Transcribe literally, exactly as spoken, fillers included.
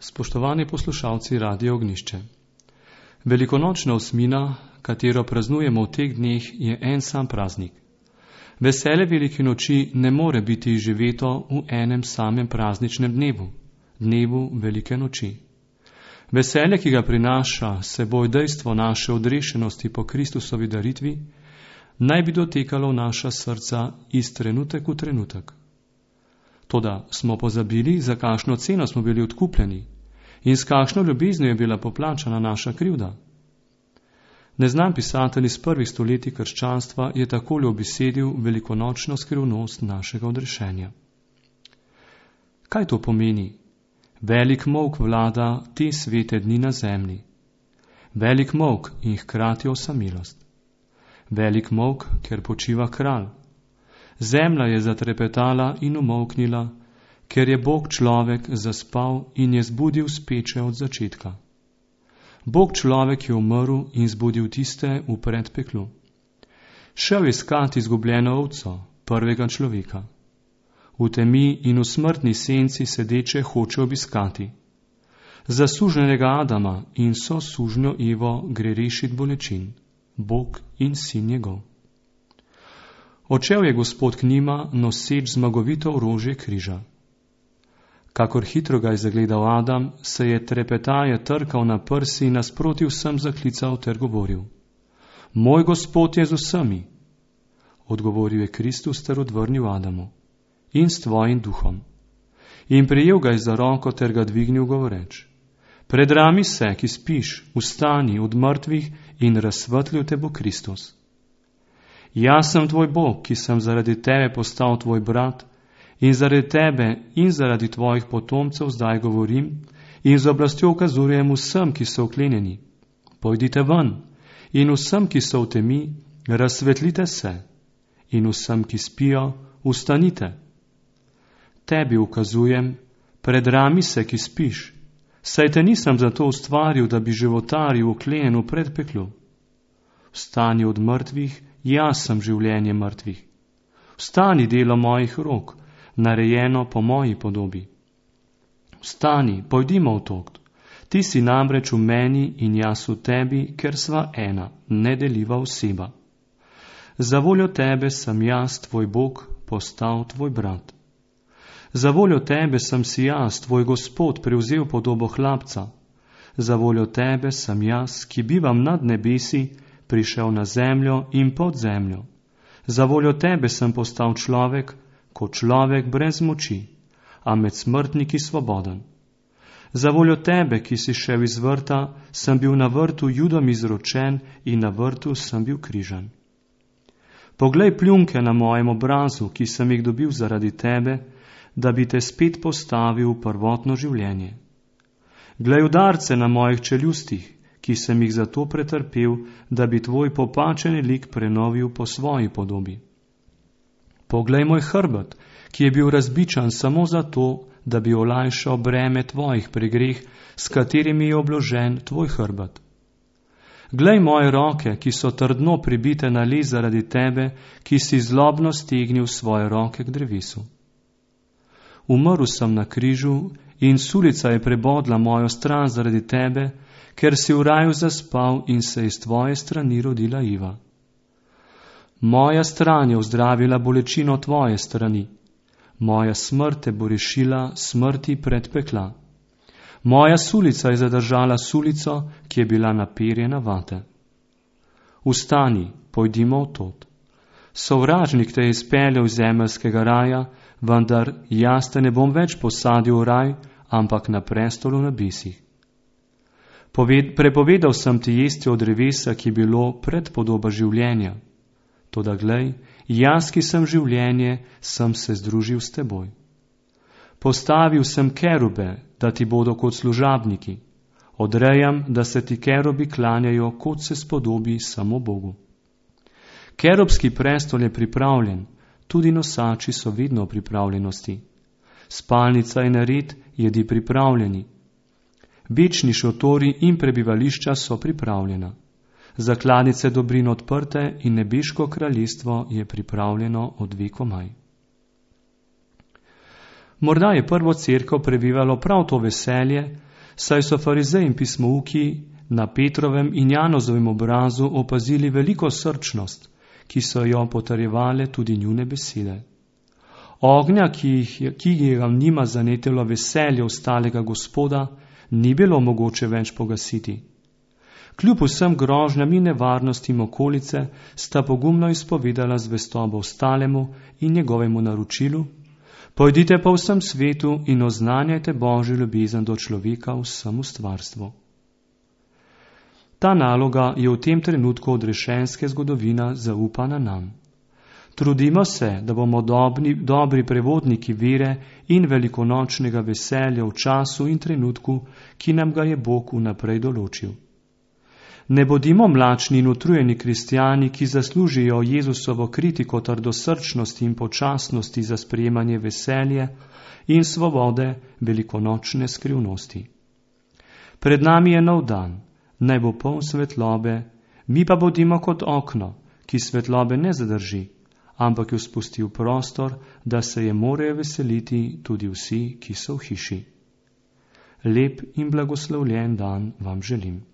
Spoštovani poslušalci Radia Ognjišče. Velikonočna osmina, katero praznujemo v teh dneh, je en sam praznik. Veselje velike noči ne more biti izživeto v enem samem prazničnem dnevu, dnevu velike noči. Veselje, ki ga prinaša seboj dejstvo naše odrešenosti po Kristusovi daritvi, naj bi dotekalo v naša srca iz trenutek v trenutek. Toda smo pozabili, za kakšno ceno smo bili odkupljeni in s kakšno ljubeznijo je bila poplačana naša krivda. Neznan pisatelj iz prvih stoletij krščanstva je takole obesedil velikonočno skrivnost našega odrešenja. Kaj to pomeni? Velik molk vlada te svete dni na zemlji. Velik molk in hkrati osamilost. Velik molk, ker počiva kralj. Zemlja je zatrepetala in umolknila, ker je Bog človek zaspal in je zbudil speče od začetka. Bog človek je umrl in zbudil tiste v predpeklu. Šel je iskati izgubljeno ovco, prvega človeka. V temi in v smrtni senci sedeče hoče obiskati. Za sužnjenega Adama in so sužnjo Evo gre rešit bolečin, Bog in sin njegov. Odšel je Gospod k njima, noseč zmagovito orožje križa. Kakor hitro ga je zagledal Adam, se je trepetaje trkal na prsi in nasproti vsem zaklical ter govoril: Moj Gospod je z vsemi. Odgovoril je Kristus ter odvrnil Adamu: In s tvojim duhom. In prijel ga je za roko ter ga dvignil govoreč: Predrami se, ki spiš, vstani od mrtvih in razsvetlil te bo Kristus. Jaz sem tvoj Bog, ki sem zaradi tebe postal tvoj brat, in zaradi tebe in zaradi tvojih potomcev zdaj govorim in z oblastjo ukazujem vsem, ki so vklenjeni. Pojdite ven in vsem, ki so v temi, razsvetlite se in vsem, ki spijo, vstanite. Tebi ukazujem, predrami se, ki spiš, saj te nisem zato ustvaril, da bi životaril vklenjen v predpeklu. Vstani od mrtvih, jaz sem življenje mrtvih. Vstani delo mojih rok, narejeno po moji podobi. Vstani, pojdimo v tok. Ti si namreč v meni in jaz v tebi, ker sva ena, nedeljiva oseba. Za voljo tebe sem jaz, tvoj Bog, postal tvoj brat. Za voljo tebe sem si jaz, tvoj Gospod, prevzel podobo hlapca. Za voljo tebe sem jaz, ki bivam nad nebesi, prišel na zemljo in pod zemljo. Za voljo tebe sem postal človek, kot človek brez moči, a med smrtniki svoboden. Za voljo tebe, ki si šel iz vrta, sem bil na vrtu Judom izročen in na vrtu sem bil križan. Poglej pljunke na mojem obrazu, ki sem jih dobil zaradi tebe, da bi te spet postavil v prvotno življenje. Glej udarce na mojih čeljustih, ki sem jih zato pretrpel, da bi tvoj popačeni lik prenovil po svoji podobi. Poglej moj hrbet, ki je bil razbičan samo zato, da bi olajšal breme tvojih pregreh, s katerimi je obložen tvoj hrbet. Glej moje roke, ki so trdno pribite na les zaradi tebe, ki si zlobno stegnil svoje roke k drevesu. Umrl sem na križu in sulica je prebodla mojo stran zaradi tebe, ker si v raju zaspal in se iz tvoje strani rodila Iva. Moja stran je ozdravila bolečino tvoje strani. Moja smrt te bo rešila smrti predpekla. Moja sulica je zadržala sulico, ki je bila naperjena vate. Vstani, pojdimo v tot. Sovražnik te je izpeljal iz zemeljskega raja, vendar jaz te ne bom več posadil v raj, ampak na prestolu na besih. Poved, prepovedal sem ti jesti od drevesa, ki je bilo predpodoba življenja. Toda glej, jaz, ki sem življenje, sem se združil s teboj. Postavil sem kerube, da ti bodo kot služabniki. Odrejam, da se ti kerubi klanjajo, kot se spodobi samo Bogu. Kerubski prestol je pripravljen, tudi nosači so vedno v pripravljenosti. Spalnica in red jedi pripravljeni. Večni šotori in prebivališča so pripravljena. Zakladnice dobrin odprte in nebeško kraljestvo je pripravljeno od vekomaj. Morda je prvo cerkev prebivalo prav to veselje, saj so farizeji in pismouki na Petrovem in Janozovem obrazu opazili veliko srčnost, ki so jo potrjevale tudi njune besede. Ognja, ki jih, ki jih je njima zanetilo veselje ostalega Gospoda, ni bilo mogoče več pogasiti. Kljub vsem grožnjam in nevarnostim okolice sta pogumno izpovedala zvestobo ostalemu in njegovemu naročilu: pojdite po vsem svetu in oznanjajte Božjo ljubezen do človeka v vsem stvarstvu. Ta naloga je v tem trenutku odrešenske zgodovina zaupana nam. Trudimo se, da bomo dobri, dobri prevodniki vere in velikonočnega veselja v času in trenutku, ki nam ga je Bog vnaprej določil. Ne bodimo mlačni in utrujeni kristjani, ki zaslužijo Jezusovo kritiko trdosrčnosti in počasnosti za sprejemanje veselje in svobode velikonočne skrivnosti. Pred nami je nov dan, naj bo poln svetlobe, mi pa bodimo kot okno, ki svetlobe ne zadrži, ampak jo spusti v prostor, da se je morajo veseliti tudi vsi, ki so v hiši. Lep in blagoslovljen dan vam želim.